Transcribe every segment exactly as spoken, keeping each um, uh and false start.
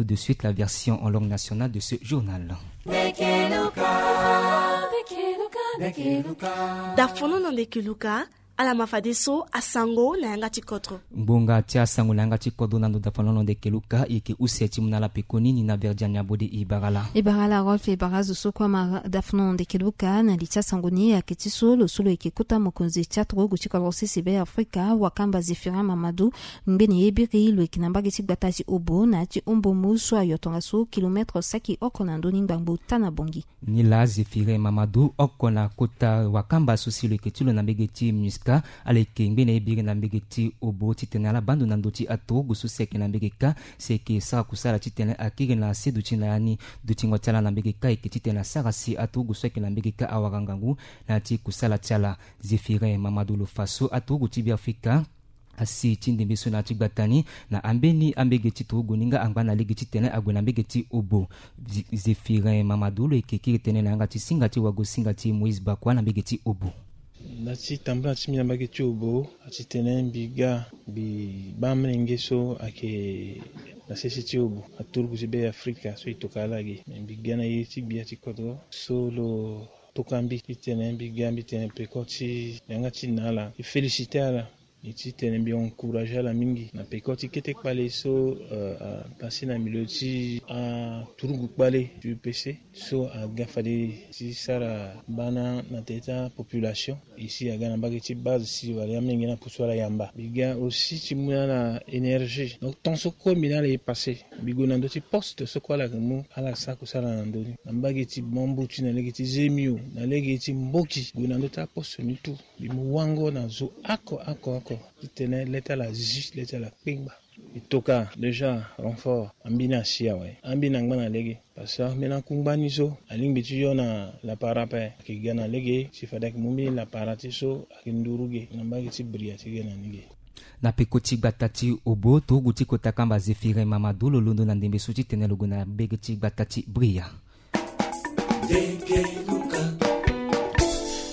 De suite, la version en langue nationale de ce journal. Dafono na ndeke luka. Ala ma fadeso asango na yanga ti kodro. Ngbonga ti asango na yanga ti kodro na ndo dafono na ndeke luka, e yeke use ti mu na ala pekoni ni na Verdiane Abode. E bara ala. E bara ala Rolf, e bara azo so kue ama dafono na ndeke luka. Na li ti asango ni ayeke ti so lo so lo yeke kota mokonzi ti aturugu ti kodro sese Be Afrika, wakamba Zéphirin Mamadou, ngbene ye biri lo yeke na mbage ti gbata ti Obo na ya ti Ombomu so ayo tongaso kilomètre saki oko na ndö ni ngbangbo tana Bangui. Ni laa Zéphirin Mamadou, oko na kota wakamba so si lo yeke ti lo na mbage ti MINUSCA, ala yeke ngbene ye biri na mbage ti Obo titene ala baa ndo na ndö ti aturugu so si ayeke na mbage kâ, si ayeke sara kusala titene akiri na se duti na ya ni. Dutingo ti ala na mbage kâ ayeke titene asara si aturugu so ayeke na mbage kâ awara ngangu na ya ti kusala ti ala. Zéphirin Mamadou lo fa so aturugu ti Be Afrika asi ti ndembe so na ya ti gbata ni na ambeni ambege ti turugu ni nga angba na lege titene ague na mbege ti Obo. Zi-, Zéphirin Mamadou lo yeke kiri tënë na yanga ti singa ti wago singa ti Moïse Bakwa na mbege ti Obo. Na ti tambula ti mbi na mbage ti Obo, a ti tene mbi ga mbi baa mlenge so ayeke na sese ti Obo, aturugu ti Be Afrika so e toka ala ge. Me mbi ga na ye ti gbia ti kodro so lo toka mbi titene mbi ga mbi tene peko ti yanga ti na ala, e féliciter ala. E ti tene mbi encourager ala mingi na peko ti kete kpale so, euh, apase na milieu ti aturugu kpale ti U P C so aga fade ti sara bana na tere ti apopulation. E si aga na mbage ti base si wala ya mlenge na pusu ala yamba. Mbi ga aussi ti mu na ala énergie. Donc temps so kue mbi na ala e passé, mbi gue na ndö ti poste so kue ala yeke mu ala sara kusala na ndö ni. Na mbage ti Bambuti na lege ti Zemio na lege ti Mboki, gue na ndö ti aposte ni tout. Mbi mu wango na zo oko oko oko titene le ti ala zi, le ti ala kpengba. E toka déjà renfort, ambeni asi awe, ambeni angba na lege. Parce que ambeni akungba ni so alingbi ti yo na lapara ape, ayeke ga na lege si fade ayeke mu mbeni lapara ti so ayeke nduru ge na mbage ti Bria ti ge na ni ge. Na peko ti gbata ti Obo, turugu ti kota kamba Zéphirin Mamadou lo londo na ndembe so titene lo gue na mbage ti gbata ti Bria.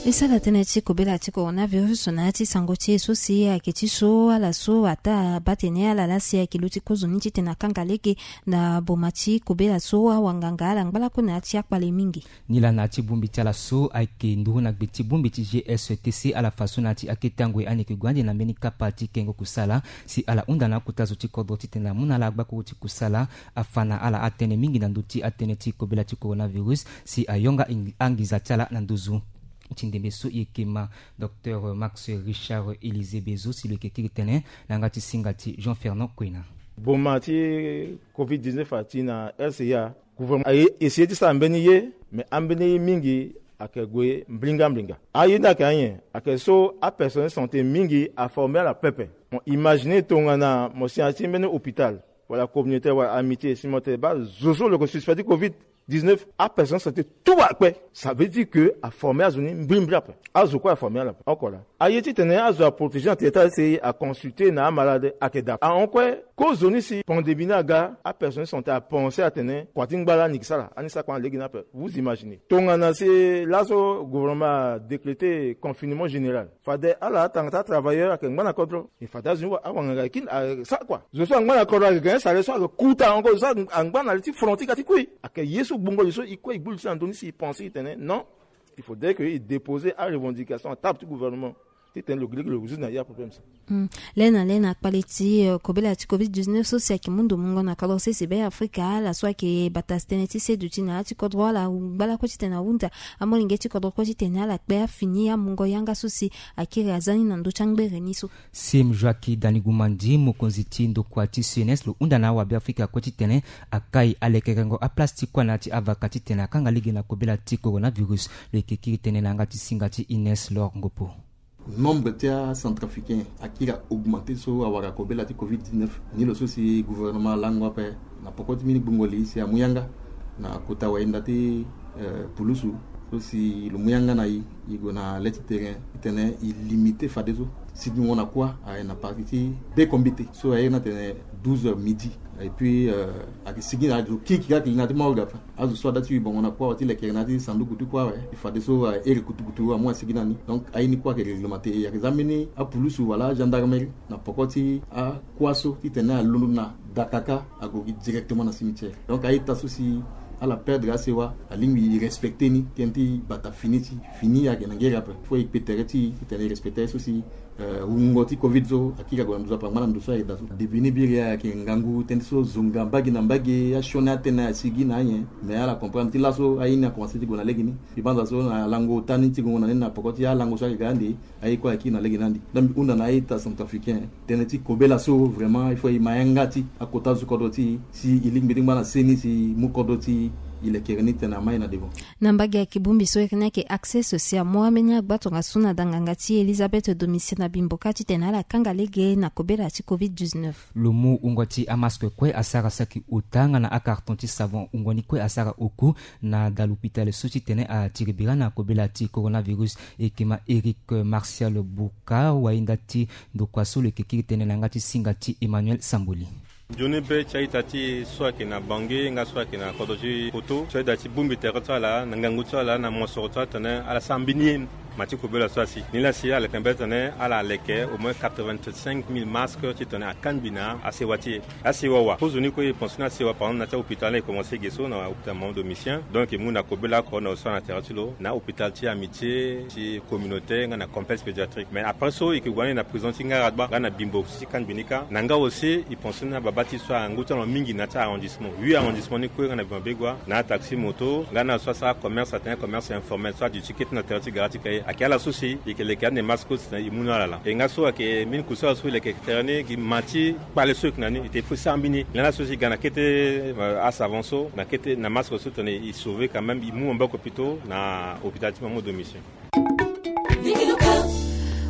E sara tënë ti kobela ti coronavirus na ya ti sango ti e so si ayeke ti so ala so ataa baa tene ala laa si ayeke luti kozoni titene akanga lege na boma ti kobela so awanganga ala ngba lakue na ya ti akpale mingi. Nilaa na ya ti bongbi ti ala so ayeke nduru na gbe ti bongbi ti G S T C, ala fa so na ya ti akete angoi ani yeke gue ande na mbeni kapa ti kengo kusala si ala hunda na akota zo ti kodro titene amu na ala agbakuru ti kusala. Afa na ala atënë mingi na ndö ti atënë ti kobela ti coronavirus si ayonga ing-, anginza ti ala na nduzu ti ndembe so e yeke ma Docteur Max Richard Élisée Bezo si lo yeke kiri tënë na yanga ti singa ti Jean Fernand Kwena. Boma ti covid dix-neuf ati na R C A, gouvernement aye essayer ti sara mbeni ye, mais ambeni ye mingi ayeke gue mbringa mbringa. Aye ni ayeke anyen? Ayeke so apersonnel santé mingi aformer ala pepe. Mo imaginer tongana mo si na ya ti mbeni hôpital wala communautaire wala amitié, si mo tene baa zo so lo yeke suspect ti covid dix-neuf, apersonnel santé tout akpe. Ça veut dire que aformer azo ni mbirimbiri ape. Azo kue aformer ala oko laa. Aye titene azo aprotéger na tere ti ala si aconsulter na amalade ayeke dape. Ahon kue, kozoni si pandémie ni aga, apersonnel santé apenser atene kua ti ngba laa ni yeke sara, ani sara kua na lege ni ape. Vous imaginez. Tongana si laso gouvernement adécréter confinement général, fade ala atanga ti atravailleur ayeke ngba na kodro. E fade azo ni wa-, awanganga e kiri na, a, sara kua. Zo so angba na kodro ayeke ga ni sara so ayeke kuta ahon kue, zo so angba na li ti front ti ga ti kui. Ayeke ye so gbongo li so e kue e gbu li so na ndö ni si e penser e tene non, il faudrait que e déposer arevendication na table ti gouvernement titene lo gi lege lo résoudre na ye aproblème so. Hmm. Le na le na kpale ti, euh, kobela ti covid dix-neuf so si ayeke mu ndo mungo na kodro sese Be Afrika, ala so ayeke bata tënë ti seduti na ya ti kodro, ala ngba lakue titene ahunda amolenge ti kodro kue titene ala kpe afini amungo yanga so si akiri aza ni na ndö ti angbere ni so. Sim Joaquim Danigumandi, mokonzi ti ndokua ti C N S, lo hunda na awa Be Afrika kue titene akai alekerengo aplace ti kuâ na ya ti avaka titene akanga lege na kobela ti coronavirus. Lo yeke kiri tënë na yanga ti singa ti Ines Lor Ngopo. Nombre ti acentrafricain akiri a-augmenter so awara kobela ti covid dix-neuf. Ni lo so si gouvernement alango ape na poko ti mbeni gbungo li si amu yanga na kota wayenda ti, eh, pulusu So si lo mu yanga na i, i gue na le ti terrain titene i limite fadeso sigingo na kuâ aye na parti ti bekombite so aye na tene douze heures midi. Et puis ayeke sigi na azo kirikiri ayeke li na ya ti morgue ape. Azo so ada ti wi bongo na kuâ wa ti lekere na ya ti sanduku ti kuâ awe, fadeso ere kutukutu amu asigi na ni. Donc aye ni kuâ ayeke règlement te. Ayeke za mbeni apulusu wala agendarmerie na poko ti akuâ so titene alondo na dakaka ague gi directement na cimetière. Donc a-ita so si ala perdre asewa, alingbi e respecter ni tënë ti bata fini ti fini ayeke na ngeri ape. Fo e kpe tere ti e titene e respecter aye so si wungo ti covid so akiri ague na nduzu ape angba na ndo so ayeke daa so. Debini biri ayeke ngangu tënë so zonga mbage na mbage asioni atene asigi na anyen. Mais ala comprendre ti laso aye ni akomanse ti gue na lege ni. Mbi banza so na lango ota ni ti gongo na ni na poko ti alango so ayeke ga ande. Aye kue ayeke kiri na lege ni ande. Donc mbi hunda na a-ita centrafricain tënë ti kobela so vraiment il faut e ma yanga ti akota zo kodro ti e si e lingbi ti ngba na seni si e mu kodro ti e lekere ni titene ama e na devant. Na mbage ayeke bongbi so iri ni ayeke accès social mu ambeni agbatongaso na da nganga ti e Elisabeth Domitien na Bimboka titene ala kanga lege na kobela ti covid dix-neuf. Lo mu wungo ti amask kue asara saki ota nga na akarton ti savon wungo ni kue asara oku na da lopitale so titene atiri bira na kobela ti coronavirus. Eke ma Eric Martial Bouka wainda ti ndokua so lo yeke kiri tene na yanga ti singa ti Emmanuel Samboli. Nzoni be ti a-ita ti e so ayeke na Bangui nga so ayeke na kodro ti Poto so ayeda ti bongbi tere ti ala na ngangu ti ala na mosoro ti ala titene ala sara mbeni ye ma ti kobela so asi. Ni laa si ala yeke mbeni titene ala leke au moins quatre-vingt-cinq mille masques titene akangbi na asewa ti e. Asewa wa kozo ni kue e pense ni asewa par exemple na ti ahôpital ni e commence ge so na hôpital Mamadou Domitien. Donc e mu na kobela oko na osara na tere ti lo na hôpital ti Amitié ti communauté nga na complexe pédiatrique. Mais après so e yeke gue ni na prison ti Ngaradba nga na Bimbo ti kangbi ni kâ. Na nga aussi e pense ni ababa ti so angu ti ala mingi na ya ti arrondissement, huit arrondissement ni kue nga na Bimbo Begua na ataxi moto nga na so asara commerce atene commerce informel so aduti kete na tere ti gara ti Cayes. Ayeke ala so si e yeke leke ande masque so titene e mu ni ala laa. E nga so ayeke mbeni kusala so e leke tere ni gi ma ti kpale so e yeke na ni e te fo e sara mbeni ye. Lani so si e ga na kete asavant so na kete na masque so titene e sauver quand même e mu maboko pito na hôpital ti Mamadou Domitien.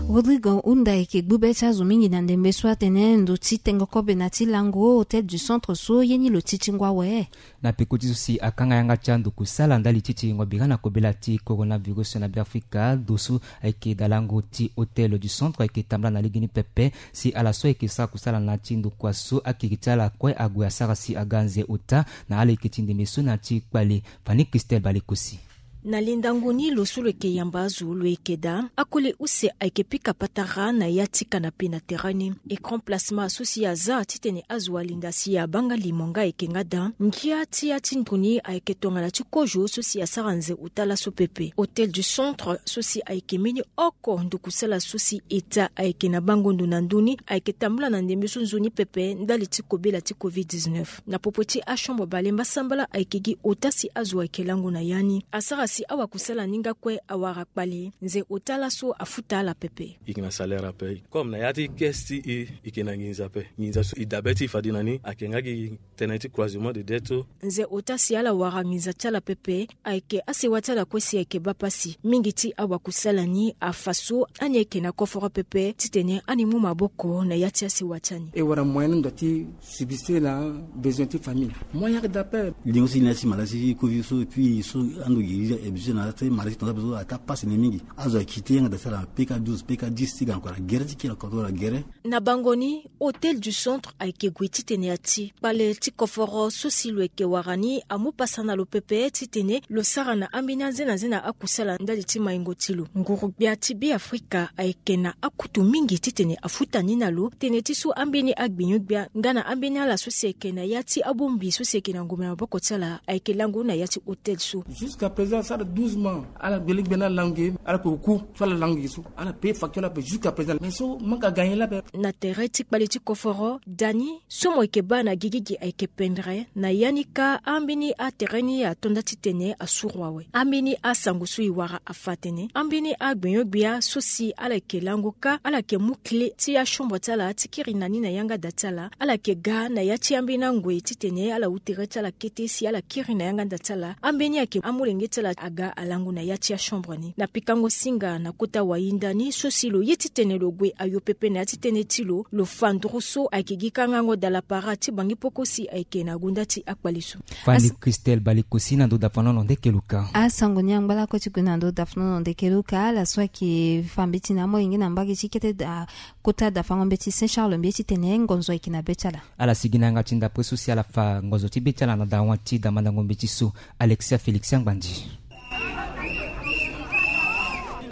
Rodrigo Hunda ayeke gbu be ti azo mingi na ndembe so atene ndo ti tengo kobe na ti lango Hôtel du Centre so ye ni lo ti ti ngu awe. Na peko ti so si akanga yanga ti ando kusala ndali ti tiringo bira na kobela ti coronavirus na Beafrika, ndo so ayeke dalango ti Hôtel du Centre ayeke tambula na legeni pepe. Si ala so ayeke sara kusala na ya ti ndokua so akiri ti ala kue ague asara si aga anze ota na ala yeke ti ndembe so na ya ti kpale. Fani Christelle Balekosi. Na lindango ni lo so lo yeke yamba azo lo yeke daa akoli use ayeke pika patara na ya ti kanape na tere ni. Écran plasma so si aza titene azo alinda si abanga limo nga ayeke nga daa. Ngia ti ya ti ndoni ayeke tongana ti kozo so si asara nze ota laso pepe. Hôtel du Centre so si ayeke mbeni oko ndokusala so si eta ayeke na bango ndo na ndö ni ayeke tambula na ndembe so nzoni pepe ndali ti kobela ti covid dix-neuf. Na popo ti achambre balemba sambala ayeke gi ota si azo ayeke lango na ya ni asara si awakusala ni nga kue awara kpale. Nze ota laso afuta ala pepe. E yeke na salaire ape. Comme na ya ti caisse ti e e yeke na nginza ape. Nginza so e dabe ti e fade na ni ayeke nga gi tënë ti croisement de dette so. Nze ota si ala wara nginza ti ala pepe ayeke asewa ti ala kue si ayeke baa pasi. Mingi ti awakusala ni afa so ani ayeke na koforo pepe titene ani mu maboko na ya ti asewa ti ani. E wara moyen ni ndo ti subsister na besoin ti famille. Moyen ayeke daa ape. Lingo so e li na ya ti maladie ti covid so et puis so ando gi e habitué na ya ti maladie ti tongaso ape so ata pasi na e mingi. Azo ayeke te yanga daa ti ala na P K douze, P K dix ti ga na kua na gere ti kiri na kua na gere. Na bango ni Hôtel du Centre ayeke gue titene ati kpale ti koforo so si lo yeke wara ni amu pasa na lo pepe titene lo sara na ambeni anze na anze na akusala ndali ti maingo ti lo. Nguru-gbia ti Beafrika ayeke na akutu mingi titene afuta ni na lo tene ti so ambeni agbenyo-gbia nga na ambeni ala so si ayeke na ya ti abongbi so si ayeke na ngombe na maboko ti ala ayeke lango na ya ti hôtel so. Jusqu'à présent asara douze mois. Ala gbele gbia ni alango ge ala koko ku so ala lango ge so ala paye facture ala paye jusqu'à présent mais so manque à gagner lape. Na tere ti kpale ti koforo da ni so mo yeke baa na gigi gi ayeke pendre na ya ni kâ. Ambeni atere ni ato nda titene asuru awe. Ambeni asango so e wara afa atene ambeni agbenyo-gbia so si ala yeke lango kâ ala yeke mu clé ti achambre ti ala ti kiri na ni na yanga da ti ala. Ala yeke ga na ya ti ambeni angoi titene ala hu tere ti ala kete si ala kiri na yanga da ti ala. Ambeni ayeke amolenge ti ala aga alangu na ya ti achambre ni na pikango singa na kota wayinda ni so si lo ye titene lo gue ayo pepe na ya ti tënë ti lo. Lo fa nduru so ayeke gi kangango dala para ti bangi poko si ayeke na gonda ti akpale so. Fani Christelle Balekosi na ndo dafanono nde keluka. Asango ni angba lako ti gue na ndo dafanono nde keluka ala so ayeke fa mbeti na amolenge na mbage ti kete da kota dafango mbeti Saint Charles mbi ye titene ngonzo ayeke na be ti ala. Ala sigi na yanga ti ndapre so si ala fa ngonzo ti be ti ala na dawa ti damandango mbeti so. Alexia Félix Angbandi.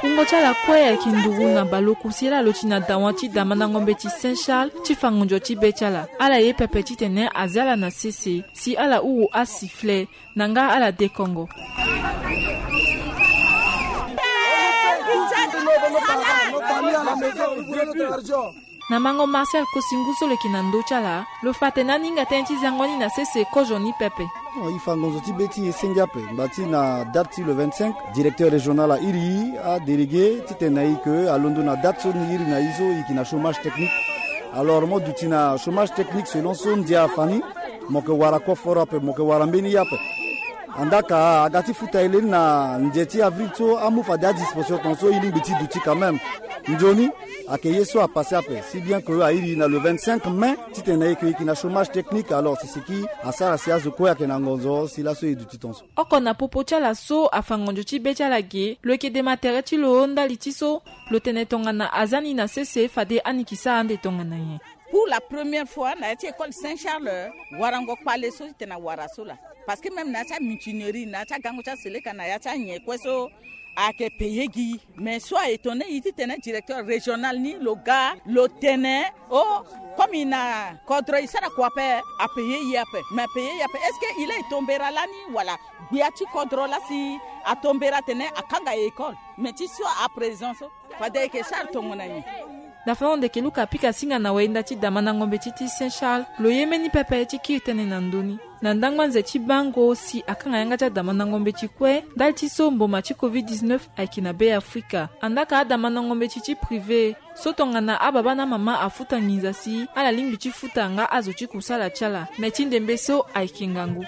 Wungo ti ala kue ayeke nduru na baleoku si ala lo ti na dawa ti damandango mbeti Saint Charles ti fa ngonzo ti be ti ala. Ala ye pepe titene azi ala na sese si ala huru asifle na nga ala dekongo. Na mango Marcel Kosingu so lo yeke na ndö ti ala, lo fa atene aninga tënë ti zango ni na sese kozo ni pepe. Oh, e fa ngonzo ti be ti e senge ape ngba ti na date ti le vingt-cinq, directeur régional airi e, adélégué titene na e ke alondo na date so ni iri na e so e yeke na chômage technique. Alors mo duti na chômage technique selon so ndia afa ni. Mo yeke wara koforo ape, mo yeke wara mbeni ye ape. Andaa ka aga ti futa e leni na nze ti avril so amu fade adisposition tongaso e lingbi ti duti quand même. Nzoni ayeke ye so apasse ape si bien que airi na le vingt-cinq mai titene na e ke e yeke na chômage technique. Alors si siki asara si azo kue ayeke na ngonzo si laso e duti tongaso. Oko na popo ti ala so afa ngonzo ti be ti ala ge, lo yeke dema tere ti lo ndali ti so lo tene tongana aza ni na sese fade aniki sara ande tongana nyen. Pour la première fois na ya ti école Saint Charles, warango kpale so titene awara so laa. Parce que même na ya ti amutinerie, na ya ti agango ti aseleka, na ya ti anyen kue so ayeke payé gi. Mais so a étonné e titene directeur régional ni lo ga lo tene, oh, comme e na kodro e sara kua ape, apayé e ape. Mais apayé e ape, est-ce que e laa e tombera lani wala? Gbia ti kodro laa si atombera atene akanga école. Mais ti so à présent so fade e yeke sara tongana nyen? Dafango ndeke Luka apika singa na wayinda ti damandango mbeti ti Saint Charles, lo ye mbeni pepe ti kiri tënë na ndö ni. Na ndangba nze ti bango si akanga yanga ti adamandango mbeti kue ndali ti so mboma ti covid dix-neuf ayeke na Be Afrika. Andaa ka adamandango mbeti ti privé so tongana ababa na amama afuta nginza si ala lingbi ti futa nga azo ti kusala ti ala. Me ti ndembe so ayeke ngangu.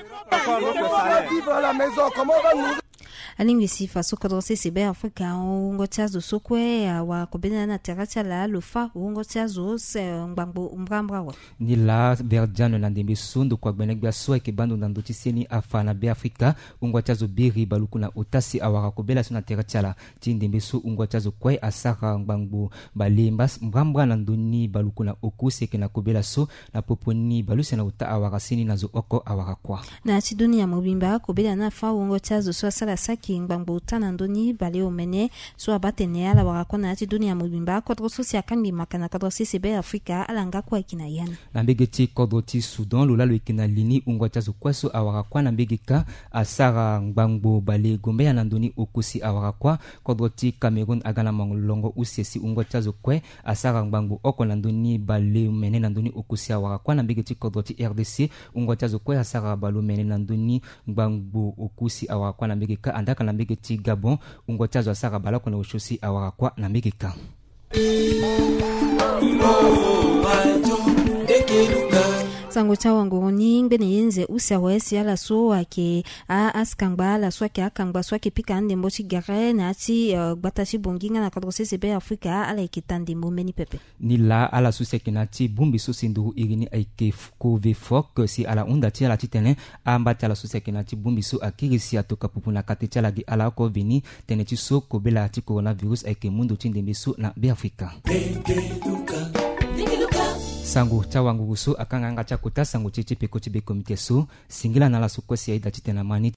Alingbi si fa so kodro sese Be Afrika wungo ti azo so kue awara kobela na tere ti ala lo fa wungo ti azo se ngbangbo mbrambra wa. Ni laa Verdiane na ndembe so ndokua gbene-gbia so ayeke baa ndo na ndö ti seni afa na Be Afrika. Wungo ti azo biri baluku na ota si awara kobela so na tere ti ala. Ti ndembe so wungo ti azo kue asara ngbangbo bale mbrambra na ndö ni baluku na oku si ayeke na kobela so. Na popo ni baleuse na ota awara seni na zo oko awara kuâ. Na ya ti dunia mobimba kobela ni afa wungo ti azo so asara saki ngbangbo ota na ndö ni baleomene so abaa tene ala wara kuâ na ya ti dunia mobimba. Kodro so si akangbi maka na kodro sese Be Afrika ala nga kue ayeke na ya ni. Na mbege ti kodro ti Soudan lo laa lo yeke na li ni wungo ti azo kue so awara kuâ na mbege kâ asara ngbangbo bale gombea na ndö ni oku si awara kuâ. Kodro ti Cameroun aga na molongo use si wungo ti azo kue asara ngbangbo oko na ndö ni baleomene na ndö ni oku si awara kuâ na mbege ti kodro ti R D C. Wungo ti azo kue asara baleomene na ndö ni ngbangbo oku si awara kuâ na mbege kâ. Andaa ka na mbege ti Gabon wungo ti azo asara baleoko na osio si awara kuâ na mbege kâ. Sango ti awangoro ni ngbene ye nze use awe si ala so ayeke a asikangba ala so ayeke akangba so ayeke pika andembo ti gere na ya ti, eh, gbata ti Bongi nga na kodro sese Be Afrika ala yeke ta ndembo mbeni pepe. Ni laa ala so si ayeke na ya ti bongbi so si nduru iri ni ayeke Covefoc si ala hunda ti ala titene amba ti ala so si ayeke na ya ti bongbi so akiri si atoka pupu na kate ti ala gi ala oko veni. Tënë ti so kobela ti coronavirus ayeke mu ndo ti ndembe so na Be Afrika. Sango ti awanguru so akanga yanga ti akota sango ti e ti peko ti be komite so. Singila na ala so kue si aye da titene ama ni.